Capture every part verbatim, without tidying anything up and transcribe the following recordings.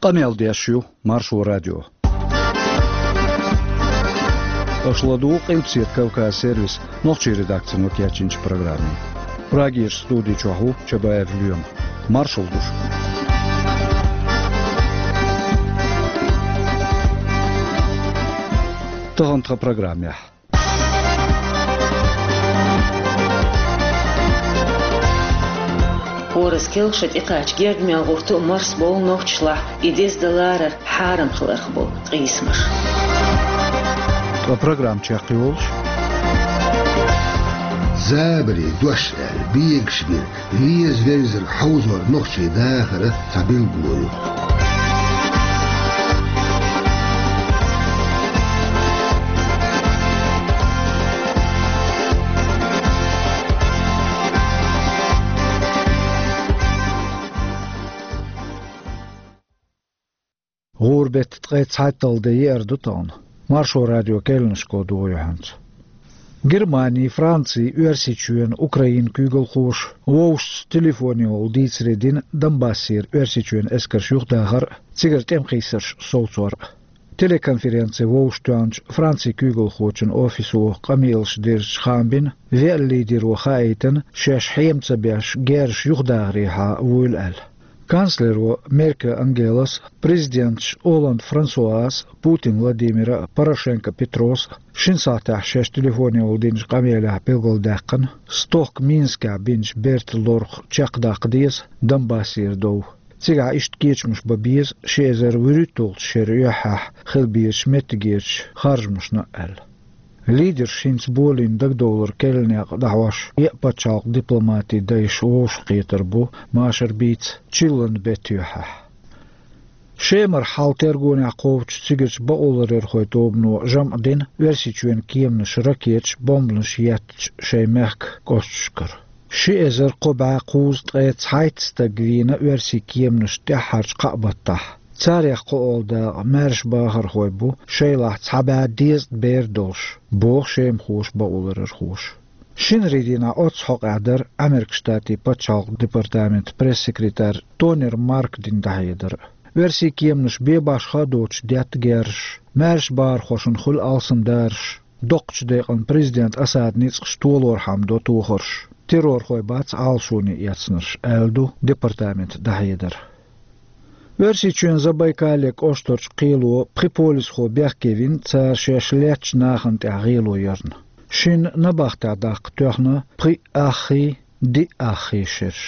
Къамел деш ю Маршо радио. Аша ладугӀу Къилбаседа Кавказ сервисан нохчийн редакцино кечйинчу программе. Прагерчу студи чохь ву Чабаев Лоьма. Маршалла ду шуьга. Тахана тхан программехь. ХӀоразза келха шо тӀекхача Гергамел гӀурту марсабовлу нохчашлахь, и деза дан ларар хьарам хиларх бу къийсамаш. Ткъа программа чекхйолуш: забаре дош аьлла, бегаш бира, веза-верзарг хьовзор нохчийн дахаран цхьа билгало ю. ГӀуран беттан ткъе цхьайтталгӀа де еара ду тахана. Маршо радион керланашка догӀу хьоьца. Германи, Франци, Оьрсийчоьнан, Украинан куьйгалхоша вовшашца телефонехула дийцаре дина Донбассера Оьрсийчоьнан эскарш юхадахар а, цигара тӀеман хийцарш совцор а. Телеконференци вовшахтоьхначу Францин куьйгалхочун офисо къамелаш дирзича хаам бина, веана лидеро хаийтина, шаьш хьема ца беш, герзаш юхадахарехьа вуйла аьлла. Канцлеро Меркель Ангелас, президенташ Олланд Франсуас, Путин Владимира, Порошенко Петрос шина сахьтехь шаьш телефонехула динчу къамелехь билгалдаьккхина, стохка Минскехь бинчу бертан лорах чекхдаккха деза Донбассера дов. Цигахь иштта кечамаш бан беза ши эзар вуьрхӀитталгӀачу шеран юьххьехь хила безачу меттигерчу харжамашна а аьлла. Лидерш хӀинца болийна дагадовлар керланекъа дӀахьош, еа пачхьалкхан дипломатин дайша вовшахкхетар бу машар бийца чиллан беттан юьххьехь. Шемара хьал тергонехь кхочучу цигарчу бакъоларъярхойн тобано жамӀ дина Оьрсийчоьнан кеманаша ракеташ, бомбанаш еттачу шайн мехкан кӀошташкара. Ши эзар кхо бӀе кхузткъе цхьайтта стаг вийна оьрсийн кеманашна тӀаьххьарчу кхаа баттахь. Царех кхоалгӀа дакъа маьрша бахархой бу, шайлахь цхьа бӀе дезткъа бер долуш, боху шемахоша, бакъоларъярхоша. Шинарин дийнахь оццу хьокъехь дара Ӏамеркан Штатийн пачхьалкхан департаментан пресс-секретарь Тонер Марка дина дӀахьедар. Оьрсийн кеманаша бен-башха а доцуш детта герзаш, маьрша бахархошна хуьлу алсамдараш, доккхачу декъана президент Асадан ницкъаш толорхьама до тохарш, террорхой бац Ӏалашоне эцнарш, аьлла ду департаментан дӀахьедар. Оьрсийчоьнан Забайкале кӀоштарчу кхело пхи полисхо бехке вина цара шаьш леттачу нахана тӀехь гӀело ярна. Шинна набахтехь даккха тоьхна пхиъ аххий, диъ аххий шераш.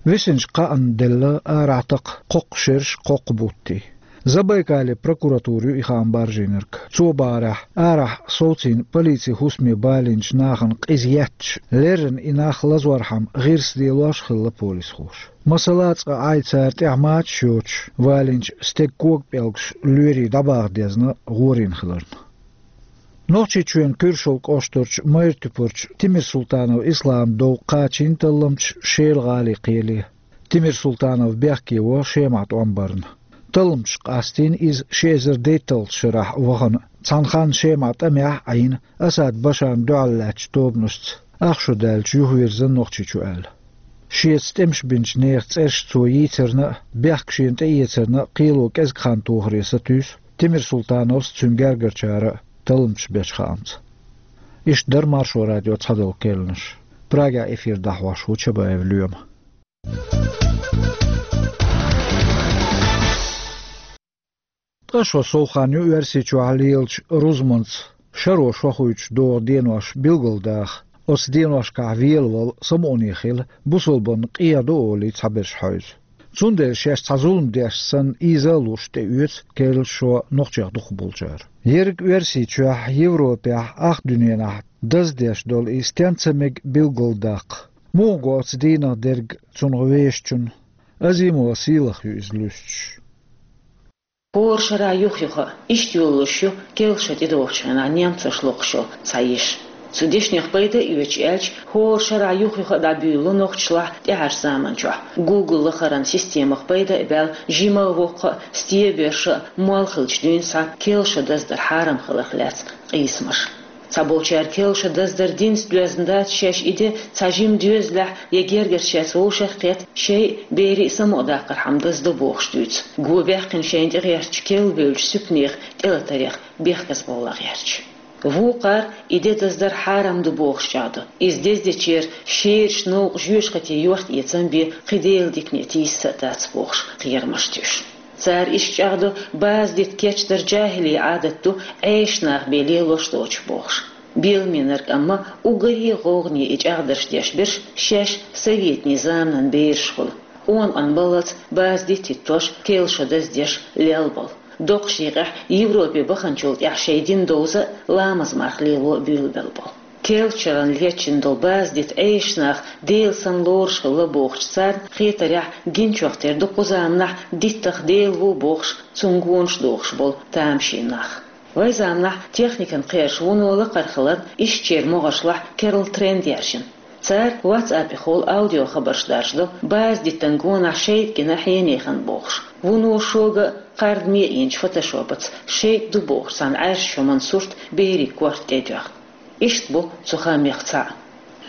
Висинчу кхаанна делла арахь такха кхоккха шераш, кхоккха буттий. Забайкале прокуратура ю и хаам баржийнарг. Цо бахарехь, арахь совцийна полицин хӀусаме балийначу нахана къиза етташ, леррина и нах лазорхьама гӀирс лелош хилла полисхоша. Масала, цкъа Ӏай цара тӀехь мачаш йоцуш валийначу стеган коган пӀелгаш лоьрийн дӀабаха дезна гӀорийна хиларна. Нохчийчоьнан Куьршалла кӀоштарчу Майртуьпарчу Тимирсултанов Исламан дов кхачийна талламчаша Шела гӀалин кхеле. Тимирсултанов бехке во Шемахь тӀом барна. Талламчаша къастийна иза ши эзар дейтталгӀачу шарахь вахана, цхьана ханна Шемахь тӀамехь а Ӏийна, Асад Башарна дуьхьал лаьттачу тобанашца ах шо даьлча юхавирзина Нохчийчу аьлла. Шеца тӀемаш бинчу нехан цӀераш цо йийцарна а, бехк шена тӀеэцарна а кхело кӀезиг хан тохаре сатуьйсу Тимирсултановс а, цуьнан гергарчара а талламчаш бечу хаамца. Иштта дара Маршо радион цхьадолу керланаш. Прагехь эфир дӀахьош ву Чабаев Лоьма. Ткъа шо сов хан ю Оьрсийчохь лелачу рузманца шаро шо хуьйцуш догӀу денош билгалдаха. Оцу деношкахь велавала самукъане хила, бусалбанна къегӀа ду олий, цхьаберш хьевза. Цундела шаьш цхьа зулам деш санна, ийза а луш, тӀеоьцу керлачу шо нохчех дукхахболчара. Ерриг Оьрсийчохь, Европехь, ах дуьненахь даздеш долу и стен ца мега билгалдаккха. Муха го оцу дийнах дерг цунах вешачунна? Азимова Сийлаха ю иза луьстуш. ХӀора шарахь юх-юха иштта йолалуш ю келха шо тӀедогӀучу хенахь немцоша локхуш йолу цхьа йиш. Цу дешнех пайда а оьцуш аьлча, хӀора шарахь юх-юха а дӀабуьйлу нохчашлахь тӀаьхьарчу заманчохь Google лахаран системах пайда а баьлла, жима а, воккха а, стен а, боьрша а, мол хилча дуьйна схьа келха шо даздар хьарам хиларх лаьцна къийсамаш. Цхьаболчара кел шо даздар динца доьзна дац, шаьш и де цхьа жима доьзалехь я гергарчаьрца вовшах а кхетта, шоай берий самукъадаккхархьама даздо бохуш дуьйцу. Го баьккхина шайна тӀегӀертачу кел бевллачу суьпанех тӀелатарех бехказбовла гӀерташ. Вукхара и де даздар хьарам ду бохуш чӀагӀдо. Иза дездечеран шераш, новкъа жоьжахати йохта-эцам бен кхин Делан дикане тийса а дац бохуш, кхерамаш туьйсу. Цара иштта чӀагӀдо, база дитт кечдар жахӀилий Ӏадат ду, Ӏеша нах бен лелош доцуш бохуш. Беламеннарг амма уггаре а гӀовгӀане и чӀагӀдарш деш берш шаьш советийн заманан бераш хуьлу. Къона-къана баллалц база дитт хӀиттош, кел шо даздеш лелла болу. Доккхачу декъехь Европе баханчул тӀаьхьа шайн дин довза а, ламаз-марха лело а буьйлабелла болу. Кел шарна лечкъина долу база дитт Ӏеша нах Дела санна лоруш хилла бохучу царна хетарехь, гиначух тера ду кху заманахь диттах Дела ву бохуш, цунна гонаш дохуш болу тамашийна нах. Вайн заманахь техникан кхераш вуно лакхара хиларна, ишттачеран могӀаршлахь керла тренд яьржина. Цара WhatsApp-ехула аудиохабарш даржадо, база диттан гонахь шайтӀа гина хьенехана бохуш. Вуно шога а кхардаме а йинчу фотошопаца шайтӀа ду бохуш цхьана Ӏаьржачу хӀуманан сурт берийн корта тӀе а доьхна. Иштта бу цу хаамех цхьаъ.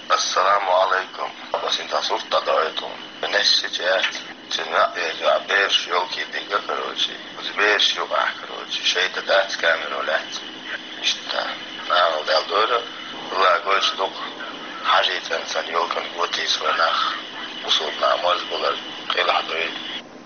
Ассаламу алайкум. Ас интан сурт дӀадоуьйту. Несси чаьрца. Цуьнан ваъ веза ваъ бераш ёлки дигга, короче. Оцу бераш юкъахь, короче. ШайтӀа дац, камеро лаьцна. Иштта. Нахала дел дора. Ла гойш дукха. Хьажий цӀанцан ёлкан готийса вай нах. Бусулба нах моза булар. Къилахь дуй.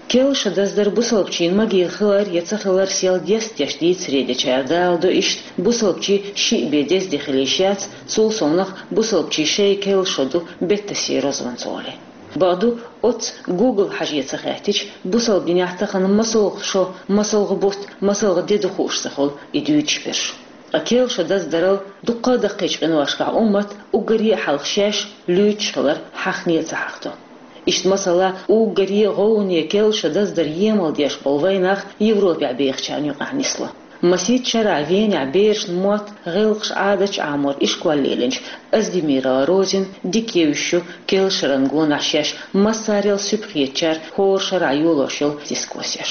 Кел шо даздар бусалбачийн магийла хилар я ца хилар сел дестдеш дийцаре дечара даладо иштта, бусалбачийн шиъ бен дезде хилийша яц, цул совнах бусалбачийн шайн кел шо ду беттасийн розанца гӀоле. Бакъду, оццу Google хьаже ца хаьттича, бусалба динехь тахана масалгӀа шо, масалгӀа бутт, масалгӀа де ду хууш ца хуьлу и дуьйцуш берш. Ткъа кел шо даздарал дуккха а даккхийчу къиношкахь уммат уггаре а хьалха шаьш луьйчуш хилар хьахане а ца хьахдо. Иштта, масала, уггаре а гӀовгӀане кел шо даздар емал деш болу вайн нах Европехь бехачарна юкъахь нисло. Масийтта шарахь Венехь берашна мотт, гӀиллакхаш, Ӏадаташ Ӏамор ишкол лелийначу Аздемирова Розина дика евзаш ю кел шаран гонахь шаьш массарел суьпа хетачара хӀора шарахь йолош йолу дискуссеш.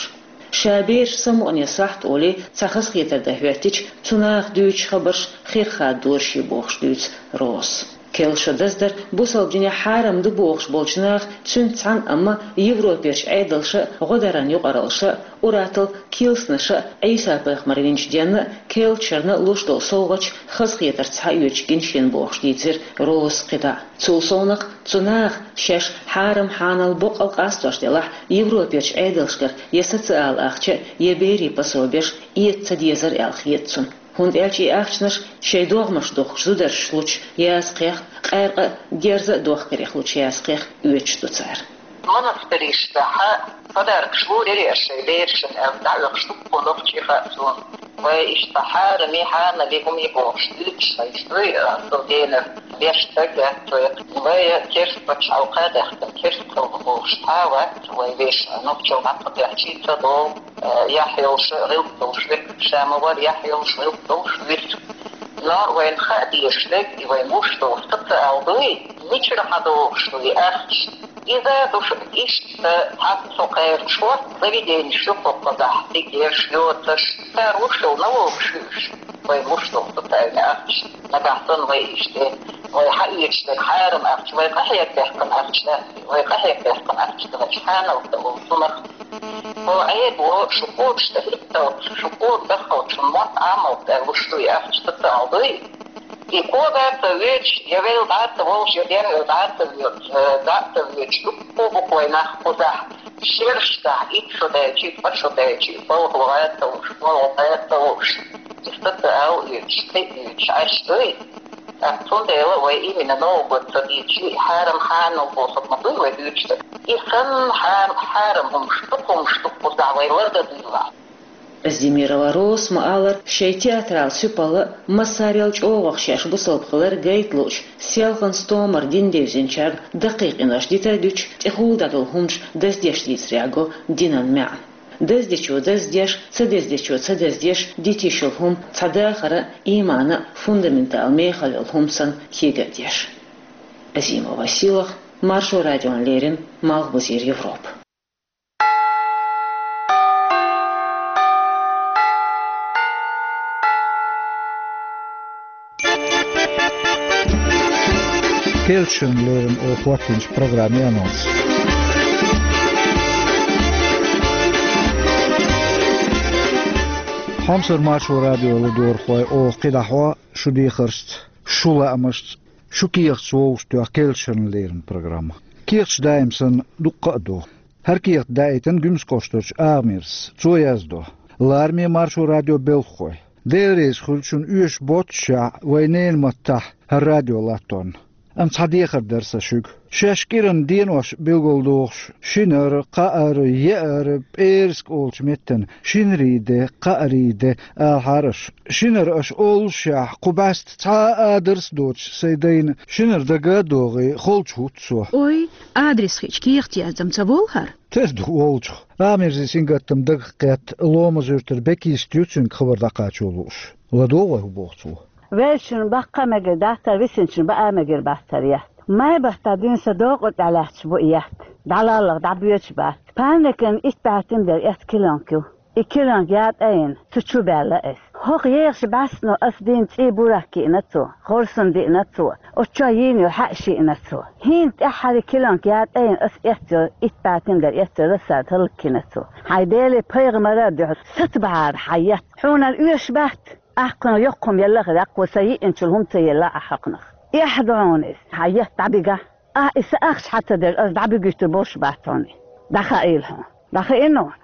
Ша бераш самукъане сахьт олий, цхьа хазахетар дан хӀоьттича, цу наха дуьйцучу хабарш хир хаддораш ю бохуш дуьйцу Розас. Кел шо даздар бусалба динехь хьарам ду бохуш болчу наха цуьнца цхьаьна амма Европерчу Ӏедалша а, гӀодаран юкъараллаша а, ур-атталла килсанаша а Ӏийса-пайхамар винчу денна а, кел шарна а луш долу совгӀаташ хазахетарца схьаоьцуш гина шена бохуш дийцира Розас кхидӀа. Цул совнах, цу наха шаьш хьарам-хьанал боккъал къастош делахь, Европерчу Ӏедалшкара я социал ахча, я берийн пособеш эца ца дезара аьлла хета цунна. ХӀунда аьлча и ахчанаш шайн догӀмаш дохкучу зударшца лучу язкъех, къаьркъа а, герза а дохкарех лучу язкъех оьцуш ду цара. Монастырьшца хьа подаркаш лур яра шайн берашна аьлла, дӀаоьхуш дуккха нохчий хаьа суна. Вай иштта хьарам и, хьанал и, хӀума и бохуш дуьйцуш хьайца дуй, а, цу денар беш стаг а, цу вай керста пачхьалкх а даьккхина, керста халкъ бохуш цхьа а вац, вай вешан нохчалла дӀа ца кхаьчча ца долу, а, яхь йолуш а гӀиллакх долуш верг ша ма вара, яхь йолуш гӀиллакх долуш вуьйцу. Но вайна хаа дезаш дерг, и вай гуш долу социал дуй, мичара хьадогӀуш ду и ахча? Иза душ иштта цхьацца кхерачо заведенеш ю кхузахь, дикерш, йоцаш, цара луш йолу налогаш ю уьш. Вай луш долу социальный ахча, нагахь санна вай иштта, вай хьаэцаш дерг хьарам ахча, вай къахьега баьккхина ахча дац, вай къахьега баьккхина ахча дац, хьанал ца волу цунах. Хьо Ӏедало шу кхочуш тӀе хӀитталц, шу кхочуш даххалц шун мотт Ӏамалц аьлла луш ду и ахча, социал дуй? И кога а ца воьдуш, я велла дӀа а ца волуш, я денвелла дӀа а ца воьдуш, э, дӀа а ца воьдуш, дуккха а бу вай нах кхузахь, шераш дахь, итт шо даьлча, ткъа шо даьлча, балха ваха а ца луш, балха ваха а ца луш, и социал оьцуш, кхин а оьцуш Ӏаш дуй? ТӀаккха цундела вай именно новгӀа год ца дийцча, и хьарам-хьанал бохург ма дуй вай дуьйцуш дерг. И санна хьарам, хьарам хӀумаш, дукха хӀумаш ду кхузахь, вай лардан дуйла. Аздемирова Розас ма-аллара, шайн театрал суьпалла а, массарел чӀогӀах шаьш бусалба хилар гайта луучу, селхана стомара дин девзинчарна даккхий къинош дита а дуьтуш, тӀехула дӀадолу хӀуманаш даздеш дийцарехь го динан маьӀна. Даздечо даздеш, ца даздечо ца даздеш, дита йиш йолу хӀума цхьа дахаран а, ийманан а фундаментал мехала йолу хӀума санна кега а деш. Азимова Силах, Маршо радиона леррина, Малхбузера Европа. Керлача шеран лерина оха хӀоттийначу программин анонс. Хьомсара Маршо радион ладогӀархой, оха кхидӀа хьо шу дехаршца, шу лаамашца, шу кехаташ вовшахтоьху керлача шеран лерина программа. Кехаташ даим санна дуккха а ду. ХӀара кехат даийтина Гуьмсан кӀоштарчу Агамирзас. Цо яздо: «Лараме, Маршо радион белхахой. Дела реза хуьлда шуна оьшуш боццушехь вайн ненан маттахь хӀара радио латторна. Амма цхьа дехар дара сан шуьга. Шаьш кӀиранан денош билгалдохуш, шинара, кхаара, еара, пӀераска олучу меттана шинарий де, кхаарий де алахьара аша. Шинара аша оллушехь, кху бӀаьста цхьа а адрес а доцуш сайн дайна шинара дага а догӀий, холчу хӀутту со». Ой, адрес хиъча кехат яздам ца волу хӀара? Тера ду волчух. Агамирзин сингаттам дагах кхетта, Ломан-Юьртара Бекист ю цуьнга хабар дӀакхачо лууш. ЛадогӀа вай хӀун боху цо. Веллачун баккха а мегар дац хӀара, висинчун баа а мегар бац хӀара етт. Май баттахь дуьйна сан докъа тӀехь лаьтташ бу и етт. ДӀалаллалц дӀабоьдуш бац. Панникан итт бӀаьрг тима дерг эцна килонг ю. И килонг ятӀа а йина, цу чу баьлла ас. ХӀокху ехаш бӀаьстано ас дийна цӀий бурак йиъна цо, хорсан диъна цо, оцу чохь йийна йолу хьаьаш йиъна цо. ХӀинца тӀаьххьара килонг ятӀа а йина, ас эцна йолу итт бӀаьрг тима дерг эцна йолу лассар таллакхина цо. Хьайн Деле, пайхамара а дуьхьал, сацабахьара хьан етт. Хьуна оьшуш бац. Ахь кхунах йоккха хӀума елла а хир, аккхо сан йиъначул хӀума ца елла ахь хӀокхунах. Эхь ду хьуна иза, хьан етт дӀабигахь. Ахь и сан ахча хьан ца дерг, ас дӀабигуьйтур болуш бац хьуна и. ДӀахаийла хьуна. ДӀахаийна хьуна?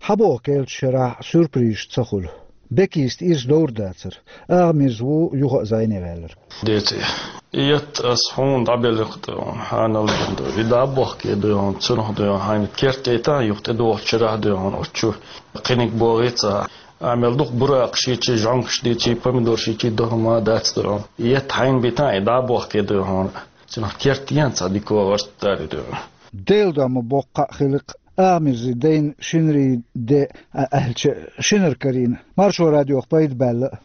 Хьан боху керлачу шарахь сюрпризаш ца хуьлу? Бекиста ирс довр дацара. Агамирза ву юха а зӀене ваьлларг. Деций. И етт ас хьуна дӀабелларг ду, хьанал ду. И дӀа а бохке ду хьуна, цунах ду хьуна, хьайна керт тӀе тан юха тӀедогӀучу шарахь ду хьуна, оцу чу кхиниг богӀий ца. Амел дукха буракаш йичий, жӀонгаш дичий, помидораш йичий, ду хьуна ма дац ду хьуна. И етт хьайна битан, и дӀа а бохке ду хьуна. Цунах керт ян цхьа дика варт дари ду хьуна. Делан дуьхьа ма боккха а хилакх, Агамирзин дайна шинарий де а аьлча, шинара карийна. Маршо радиох пайда баьлла.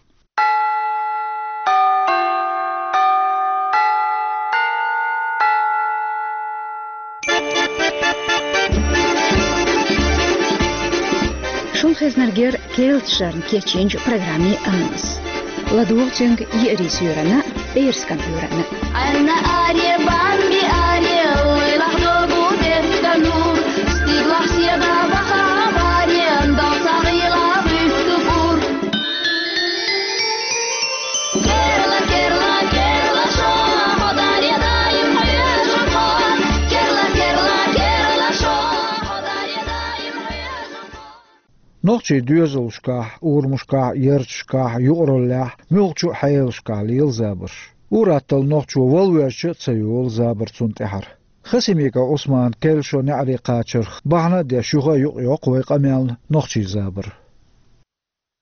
Шун хезнаргер керлачу шарна кечйинчу программин анонс. ЛадогӀа цуьнга Еарин суьйранна, Эрскан уьйранна. Анна аре, бамби аре, лайлах догу дерт канур, стиглах седа баха барен, дал сагъила висту пур. Керла, керла, керла шо, ходаре даим хьоьжу хо. Керла, керла, керла шо, ходаре даим хьоьжу хо. Нохчийн доьзалшкахь, урамашкахь, ярташкахь, юкъараллехь, муьлххачу а хьелашкахь лела забарш. Ур-атталла нохчо вала воьжча а ца йолу забар цунна тӀаьхьара. Хасимиков Ӏусманан керла шо неӀаре кхачарх бахьана а деш, юха а юкъайоккху вай къамелна нохчийн забар.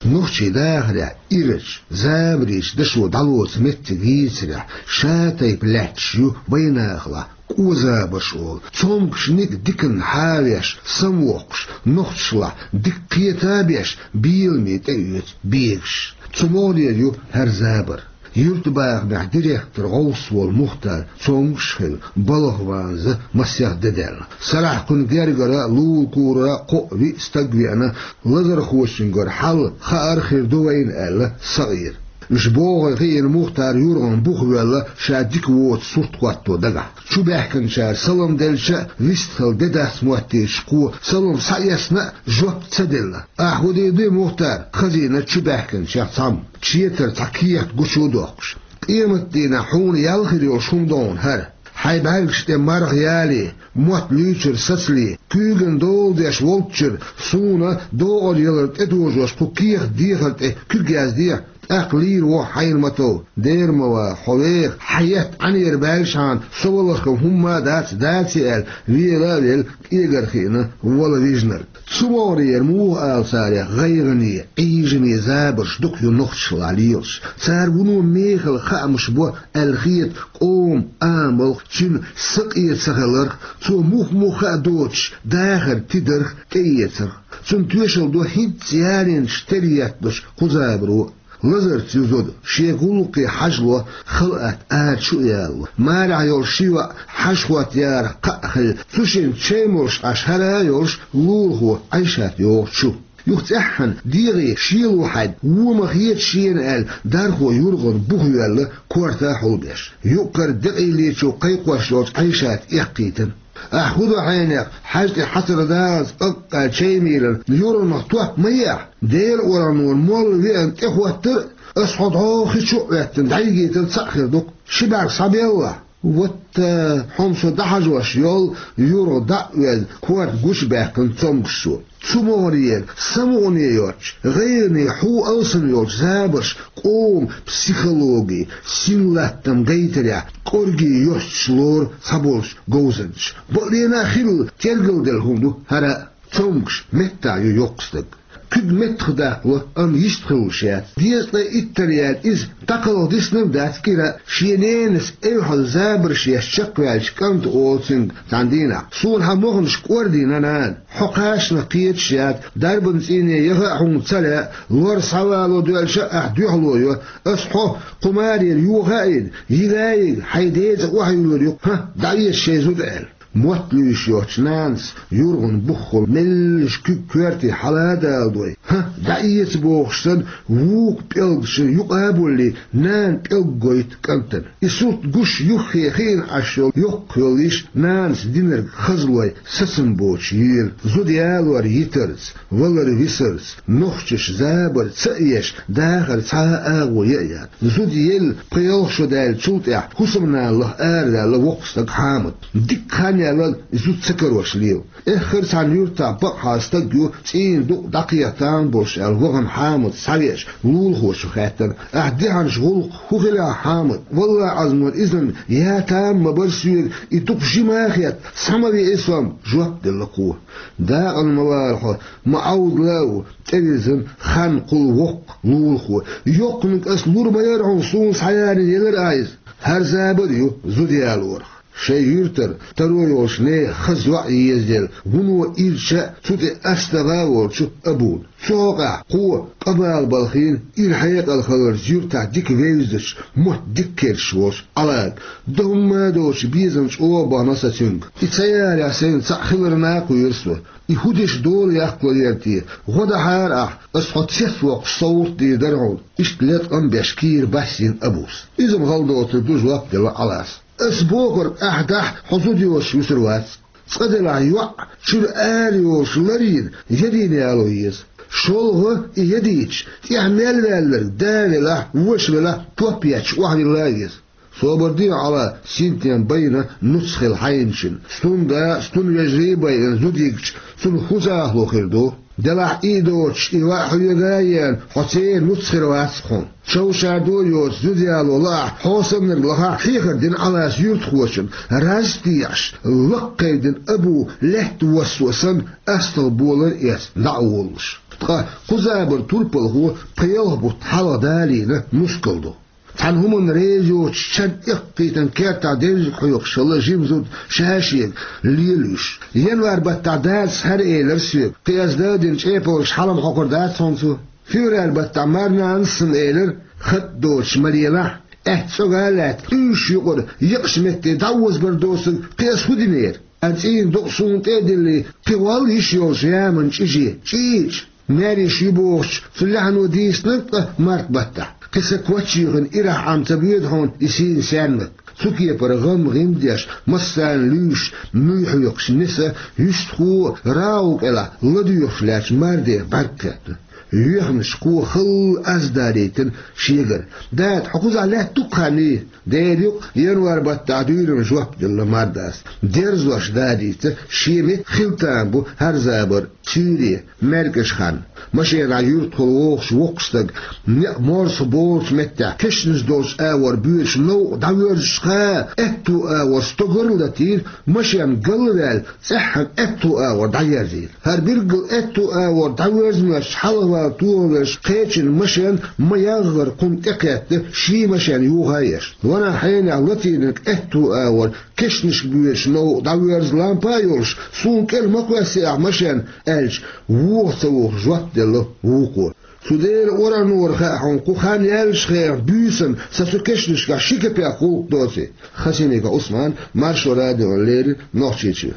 Нохчийн дахарехь ирачу, забарийн дашо дӀалоцу меттиг йийцарехь, ша тайпа лаьтташ ю вайнахалахь кӀо забарш олу. Цомгушниг диканна хьавеш, самавоккхуш, нохчашлахь дика кхета а беш, беламе тӀеоьцу бегаш. Цу могӀарера ю хӀара забар. Юьртабахамехь директор гӀовс волу Мухтар цомгуш а хилла, балха ванза масех де даьлла. Сарахь кхуьнан гергара, лулакурара кхоъ-виъ стаг веана, лазархочуьнгара хьал, хаар хир ду вайна аьлла, сакъийра. Уьш богӀий хиъна, Мухтар юргӀан бух воьлла, ша дика воцу сурт хӀотто дагахь. Чубаьхкинчара салам делча а, вистхила де дац моттийча кхо, салам схьаэцна а, жоп ца делла. Ахь хӀун дийр ду, Мухтар? Хазийна чубаьхкинчех цхьамма, четар цхьа кехат гучу а доккхуш. Къематдийнахь хьуна ял хир йолуш хӀума ду хьуна хӀара. Хьайн бӀаьргаш тӀе марха яле, мотт луьйчуьра сацале, куьйгана дола деш волччуьра суна догӀар ялар тӀедожош кху кехат дехар тӀе куьг яздехьа, тӀаккха лийр ву хьайна ма-тов. Дера ма ваха, хьо веха, хьан етт Ӏанера баьлчхьана, со валархо хӀумма а дац, даций аьлла, вела а велла, кӀегар хиъна, вала вижнарг. Цу могӀарера муха ала царех гӀайгӀане, Ӏийжане забарш дукха ю нохчашлахь лелаш. Цара вуно мехала хаамаш бо аьлла хета къоман амалх, цуьнан сакъе ца хиларх, цо мух-муха а доцуш дахар тидарх тӀеэцарх. Цунна тоьшалла до хӀинцца ялийначу тера етталуш кху забаро. Лазарца ю зуда, шен гӀуллакхе хьажало, халаат ара чу а ялало. Марехь йолу ши йоӀ хьажа хӀоттаярах кхаъ хилла, цу шинна чай молуш Ӏаш, хӀара а йолуш лулахо Ӏайшат йогӀу чу. Юха цӀеххьана дегӀе шело хьаьдда, вон ма хета шена аьлла, дархо юргӀан бух йоьлла, корта хьулбеш. Юккъара декъийлечо кхайкхош йолчу Ӏайшата эккхийтина. Ахь хӀун до хьенех, хьаьжа тӀе хьацар даллалц, аккха чай мийран, юргӀанах топ ма е ахь. Делан оргӀанора молла веана тӀехӀоттар а, ас хьо дӀо хи чу а Ӏоьттина дӀайигийтар цхьаъ хир ду-кх. Ши бӀаьрг схьабеллахь. Вот, э, хьо-м со дӀахьажош йолу, юргӀа дӀа а оьзна, корта гучубаьккхина цомгушчо. Цу могӀарера самукъане йоцчу, гӀайгӀане хьу алсам йолчу забарш къоман психологи, синлаттам гайтарехь кӀорге йостуш лору цхьаболчу говзанчаша. Бакъдерг а хилла, тергалделла хӀума ду хӀара а. Цомгуш меттахь ю йоккха стаг. Куьг меттах даккхало, амма йистхуьлуш яц. Дезткъе иттанна яьлла иза дӀакхалха диснарг дац кӀира а, шен ненас эвхьаза забарш еш чекхваьллачу кӀанта олу цуьнга цхьана дийнахь: «Суна хьан моханаш кӀордийна, нана. Хьо кхачанах кхеташ яц, дарбан цӀийне яха а хьуна ца лаьа, лор схьавало доьлча а ахь дуьхьало йо. Ас хьо кху марера йоха а йина, йига а йига, хьайн ден цӀа охьаюьллур ю-кх. ХӀа, дӀаэца шайн зуда», — аьлла. Мотт луьйш йоцчу нанас юргӀан буххула меллаша куьг коьрте хьала а даладой, хӀа, дӀаэца бохуш санна, вукху пӀелгашна юкъа а буллий, нана пӀелг гойту кӀантана. И сурт гуш юххе хиъна Ӏаш йолу йоккха йоллуш, нанас динарг хазлой сацам боцуш йийла, зуда ялор йитарца, валар висарца, нохчаша забар ца а еш, дахар цхьа а агӀо яа яц. Зуда елла пхи-ялх шо даьллачул тӀаьхьа хӀусамнана лаха арадаьлла воккха стаг Хьамад. Дикка хан яьлла, и зуда ца карош лела. Эххар а цхьана юьртахь бакъахьа стаг ю, цӀийнан дукъ дӀакхехьа тамаш болуш аьлла, вахана Хьамад схьавеача, лулахочо хаьттира: «Ахь дехьанчу гӀуллакхах хӀун хилла, Хьамад? Валлахьи, Ӏазмор, иза-м я там ма бара соьга, и дукха жима а хетта, схьа ма веа со-м», — жоп делла кхо. «Дакъана ма вала хьо, ма Ӏовдала а ву», — тӀевирзина хан кхул воккха лулахо. «Йоккханиг ас лур ма яра хьуна, суна схьаялийна елира ахь иза. ХӀара забар а ю зуда ялорах». Шайн юьртара таро йолчу нехан хаза йоӀ езаделла, вуно ирча а, цу тӀе астагӀа а волчу Абуна. Цу хьокъехь кхо къа бала балхийна, ира хьекъал хиларца юьртахь дика вевзачу, мотт дика керташ волчу Ӏалага. Дан хӀумма а доцуш, безам чӀогӀа бахана сан цуьнга. И ца ялахь, сайна цхьаъ хиларна а кхоьру со. И хӀун деш дола яккхалера те? ГӀо дахьара ахь, ас хьо цецвоккхуш совгӀат дийр дара хьуна. Иштта леткъам беш кийра басйина Абус. Иза-м хала доцург ду, жоп делла Ӏалас. Ас бохург ахь дахь, хьо зуда йоцуш вуьсур вац. Цкъа делахь йоӀ чуьра ара йолуш ларйина, ядийна яло еза. ШолгӀа и ядийча, тӀехь мел ваьлларг да велахь, ваша велахь, топ етташ охьавилла а веза. Собар де, Ӏала, синтем байна нуц хила хьайначун. Стунда, стун вежарий а байина зуда йигча, цунна хӀун захало хир ду? Делахь и доцуш, и ваъ хьоьга а еана, хьо церан нуц хир вац хьуна. Човшар ду а йоцуш, зуда яло лаахь, хьо саннарг лахахь, хьехар дина Ӏалас юьртахочунна, раз а теӀаш, лакха кхайдина Абу лаьтта воссо санна, астагӀа болар а эцна, дӀа а воллуш. Ткъа кху забаран турпалхо пхи-ялх бутт хьалха далийна мускал ду. Цхьана хӀуманна реза йоцуш, чан эккхийтина кертахь девзиг хьоькхуш хилла жима зуда ша-шега лелуьйш. Январь баттахь дадас хӀара элира соьга: «Кхин ас дан а дина чӀепалгаш хьала-м хьокхур дац хьуна цо». Февраль баттахь марнанас санна элира: «Хатта доцуш ма лелахь, аьтта цӀога а лаьтта, уьш юкъара екъачу метте дӀаозабар доцург кхин ас хӀун динера? Ан цӀийнан дукъ суна тӀе а диллий, кхин вал йиш йолчу яман чӀиже, чӀийча». Маьрша ю бохучу цу лаьхьано дийцинарг ткъа март баттахь. Кхин са коччехьа ирахь Ӏам ца боьду хьуна и сийна саьрмик. Цу кепара гӀам-гӀим деш, массарна луьйш, муй хьоькхуш неса, юьстахо а рагӀу кӀелахь ладоьгӀуш лаьттачу мардех бӀаьрг кхетта. Йоьхнаш кхо халла аз далийтина шегара. «Дада, хьо кхузахь лаьтта ду-кх хан?» «Дера ю-кх, январь баттахь дуьйна», — жоп делла мардас. Дерзош дадийца, шен меттиг хила тарлур бу хӀара забар. Цуьйре, маьркӀажа хан. Машенахь юьртахула вогӀуш воккха стаг, некъ морсах болучу меттехь кешнаш долчу агӀор боьдуш новкъа дӀавоьрзучу хана, аьтту агӀор стогар а латийра, машен галваьлла, цӀеххьана аьтту агӀор дӀаерзийра. ХӀара билггал аьтту агӀор дӀавоьрза моьттуш хьалхавала тохавелча, кхечун машен ма-ягӀгӀара кхунна тӀекхетта, шен машен юха а еш. Ванах хьенех латийнарг аьтту агӀор кешнашка боьдуш новкъа дӀавоьрзу лампа а йолуш, суна кӀел ма кхоьссий ахь машен, аьлча, вуха ца вухуш жоп делла вукхо. Цу Делан оргӀанора хаьа хьуна, кху хан яьллачу хенахь буьйсанна сан цу кешнашкахь ши кепек гӀуллакх доций. Хасимиков Ӏусман, Маршо радиона леррина, Нохчийчоь.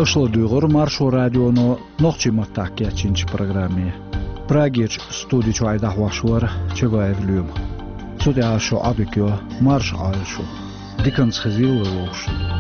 Аша ладугӀура Маршо радионо нохчийн маттахь кечйинчу программе. Прагерчу студи чохь и дӀахьош вара Чабаев Лоьма. Цу тӀехь ас шу Ӏодика йо, марша Ӏойла шу. Диканца хезийла вай вовшашна.